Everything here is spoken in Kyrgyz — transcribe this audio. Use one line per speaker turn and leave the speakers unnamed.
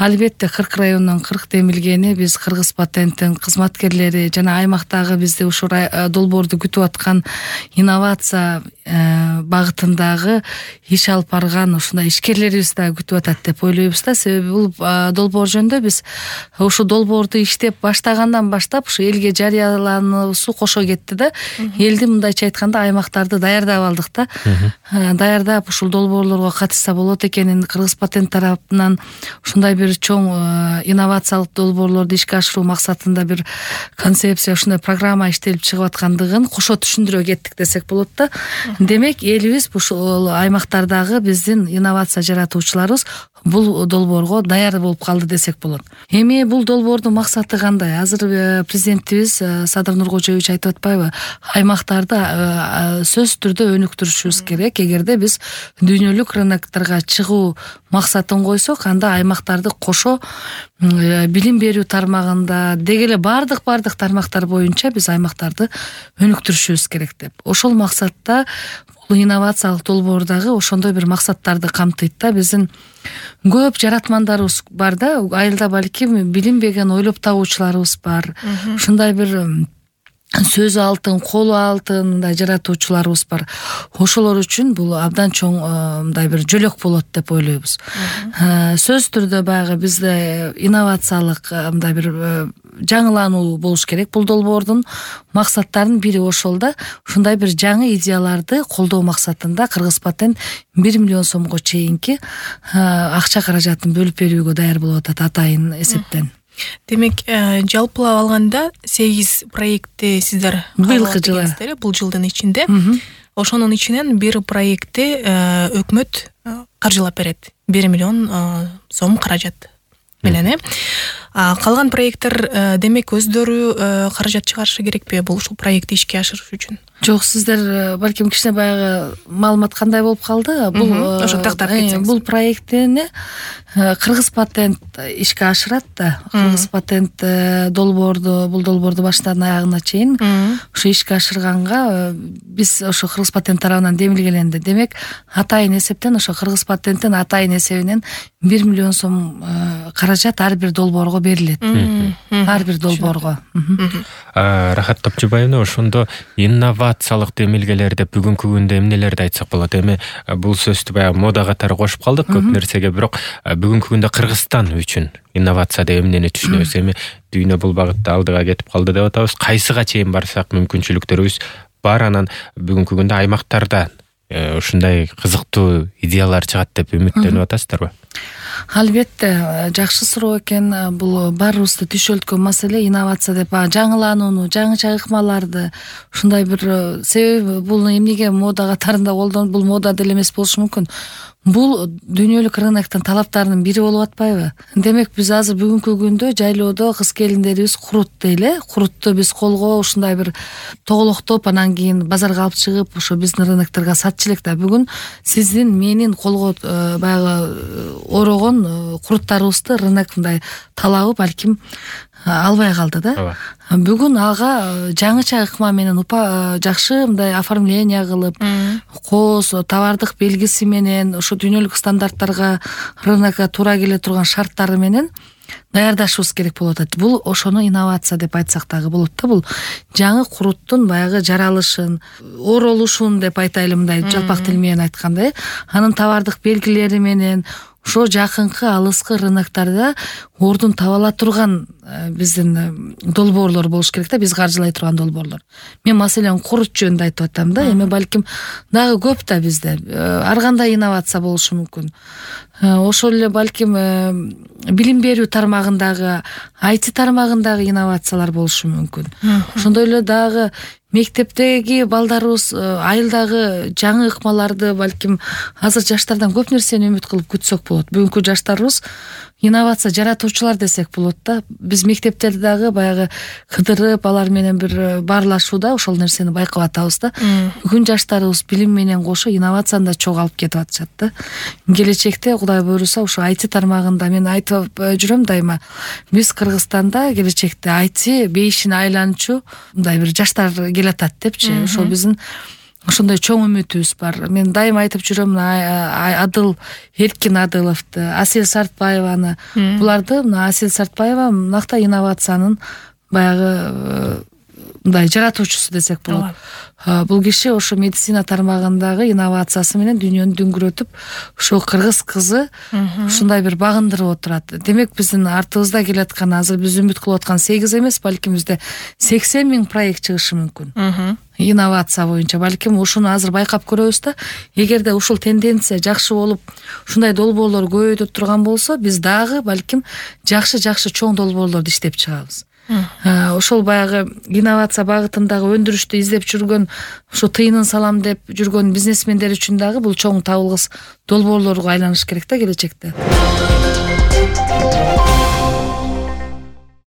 Албетте 40 райондон 40 демилгени биз Кыргыз патенттин кызматкерлери жана аймактагы бизди ушул долбоорду күтүп аткан инновация багытындагы иш алып барган ушундай ишкерлерибиз дагы күтүп атат деп ойлойбуз да. Себеби бул долбоор жөнүндө биз ушул долбоорду иштеп баштагандан баштап ушу элге жарыялануусу кошо кетти да. Элди мындайча айтканда аймактарды даярдап алдык да. Даярдап ушул долбоорлорго катышса болот экенин Кыргыз патент тарапынан ушундай бир чоң инновациялык долбоорлорду ишке ашыруу максатында бир концепция, ушундай программа иштелип чыгып аткандыгын кошо түшүндүрө кеттик десек болот да. Демек элибиз ушул аймактардагы биздин инновация жаратуучуларыбыз бул долбоорго даяр болуп калды десек болот. Эми бул долбоордун максаты кандай? Азыр президентибиз Садыр Нуркожоевич айтып атпайбы? Аймактарды сөзсүз түрдө өнүктүрүшүбүз керек. Эгерде биз дүйнөлүк рыноктарга чыгуу максатын койсок, анда аймактарды кошо билим берүү тармагында деги эле бардык тармактар боюнча биз аймактарды өнүктүрүшүбүз керек деп. Ошол максатта бул инновациялык долбоордагы ошондой бир максаттарды камтыйт да. Биздин көп жаратмандарыбыз бар да. Айылда балким билинбеген ойлоп табуучуларыбыз бар. Ушундай бир сөзү алтын, колу алтын мындай жаратуучуларыбыз бар. Ошолор үчүн бул абдан чоң мындай бир жөлөк болот деп ойлойбуз. Сөзсүз түрдө баягы бизде инновациялык мындай бир жаңылануу болуш керек. Бул долбоордун максаттарынын бири ошол да. Ушундай бир жаңы идеяларды колдоо максатында Кыргыз патент 1 миллион сомго чейинки акча каражатын бөлүп берүүгө даяр болуп атат атайын эсептен.
Демек, жалпылап алганда 8 проектти сиздер
быйылкы жылы,
бул жылдын ичинде. Ошонун ичинен бир проектти өкмөт каржылап берет. 1 миллион сом каражат менен. Калган проекттер демек өздөрү каражат чыгарышы керекпи ушул проектти ишке ашырыш үчүн?
Жок, сиздер балким кичине баягы маалымат кандай болуп калды. Бул
ошо тактап кетсеңиз.
Бул проекттини Кыргыз патент ишке ашырат да. Кыргыз патент бул долбоорду башынан аягына чейин ушу ишке ашырганга биз ошо Кыргыз патент тарабынан демилгеленди. Демек, атайын эсептен ошо Кыргыз патенттин атайын эсебинен 1 миллион сом каражат ар бир долбоорго берилет. Ар бир долбоорго.
Рахат Топчубаевна, ошондо инновациялык демилгелер деп бүгүнкү күндө эмнелерди айтсак болот? Эми бул сөздү баягы мода катары кошуп калдык көп нерсеге, бирок бүгүнкү күндө Кыргызстан үчүн инновация деп эмнени түшүнөбүз? Эми дүйнө бул багытта алдыга кетип калды деп атабыз. Кайсыга чейин барсак мүмкүнчүлүктөрүбүз бар, анан бүгүнкү күндө аймактарда ушундай кызыктуу идеялар чыгат деп үмүттөнүп атасыздарбы?
Албетте, жакшы суроо экен. Бул баарыбызды түшөлткөн маселе инновация деп, жаңыланууну, жаңыча ыкмаларды, ушундай бир себеби бул эмнеге мода катарында колдонуп, бул мода деле эмес болушу мүмкүн. Бул дүйнөлүк рыноктун талаптарынын бири болуп атпайбы? Демек, биз азыр бүгүнкү күндө жайлоодо кыз келиндерибиз курут дейли, курутту биз колго ушундай бир тоголоктоп, анан кийин базарга алып чыгып, ошо биздин рынокторго сатчу элек да. Бүгүн сиздин менин колго баягы орогон куруттарыбызды рынок мындай талабы балким албай калды да. Бүгүн ага жаңыча ыкма менен жакшы мындай оформление кылып, кооз товардык белгиси менен ошо дүйнөлүк стандарттарга, рынокко туура келе турган шарттары менен даярдашыбыз керек болуп атат. Бул ошону инновация деп айтсак дагы болот да. Бул жаңы куруттун баягы жаралышын, оролушун деп айтайлы, мындай жалпак тил менен айтканда, анын товардык белгилери менен ошо жакынкы алыскы рыноктарда ордун таба ала турган биздин долбоорлор болуш керек да, биз каржылай турган долбоорлор. Мен маселен курут жөнүндө айтып атам да. Эми балким дагы көп да бизде ар кандай инновация болушу мүмкүн. Ошол эле балким билим берүү тармагындагы, IT тармагындагы инновациялар болушу мүмкүн. Ошондой эле дагы мектептеги балдарыбыз айылдагы жаңы ыкмаларды балким азыр жаштардан көп нерсени үмүт кылып күтсөк болот. Бүгүнкү жаштарыбыз инновация жаратуучулар десек болот да. Биз мектептерде дагы баягы кыдырып, алар менен бир баарлашууда ошол нерсени байкап атабыз да. Бүгүн жаштарыбыз билим менен кошо инновацияны да чогуу алып кетип атышат да. Келечекте Кудай буйруса ошо IT тармагында мен айтып жүрөм дайыма. Биз Кыргызстанда келечекте IT бейишине айланчу мындай бир жаштар келатат депчи. Ошо биздин ошондой чоң үмүтүбүз бар. Мен дайыма айтып жүрөм, Адыл Эркин Адыловду, Асель Сартбаеваны. Буларды, Асель Сартбаева мынакта инновациянын баягы мындай жаратуучусу десек болот. Бул киши ошо медицина тармагындагы инновациясы менен дүйнөнү дүңгүрөтүп, ошо кыргыз кызы ушундай бир багындырып отурат. Демек биздин артыбызда келаткан, азыр биз үмүт кылып аткан 8 эмес, балким бизде 80 000 проект чыгышы мүмкүн. Инновация боюнча балким ушуну азыр байкап көрөбүз да, эгерде ушул тенденция жакшы болуп, ушундай долбоорлор көбөйүп турган болсо, биз дагы балким жакшы чоң долбоорлорду иштеп чыгабыз. Ошол баягы инновация багытындагы өндүрүштү издеп жүргөн, ошо тыйынын салам деп жүргөн бизнесмендер үчүн дагы бул чоң табылгыс долбоорлорго айланыш керек да келечекте.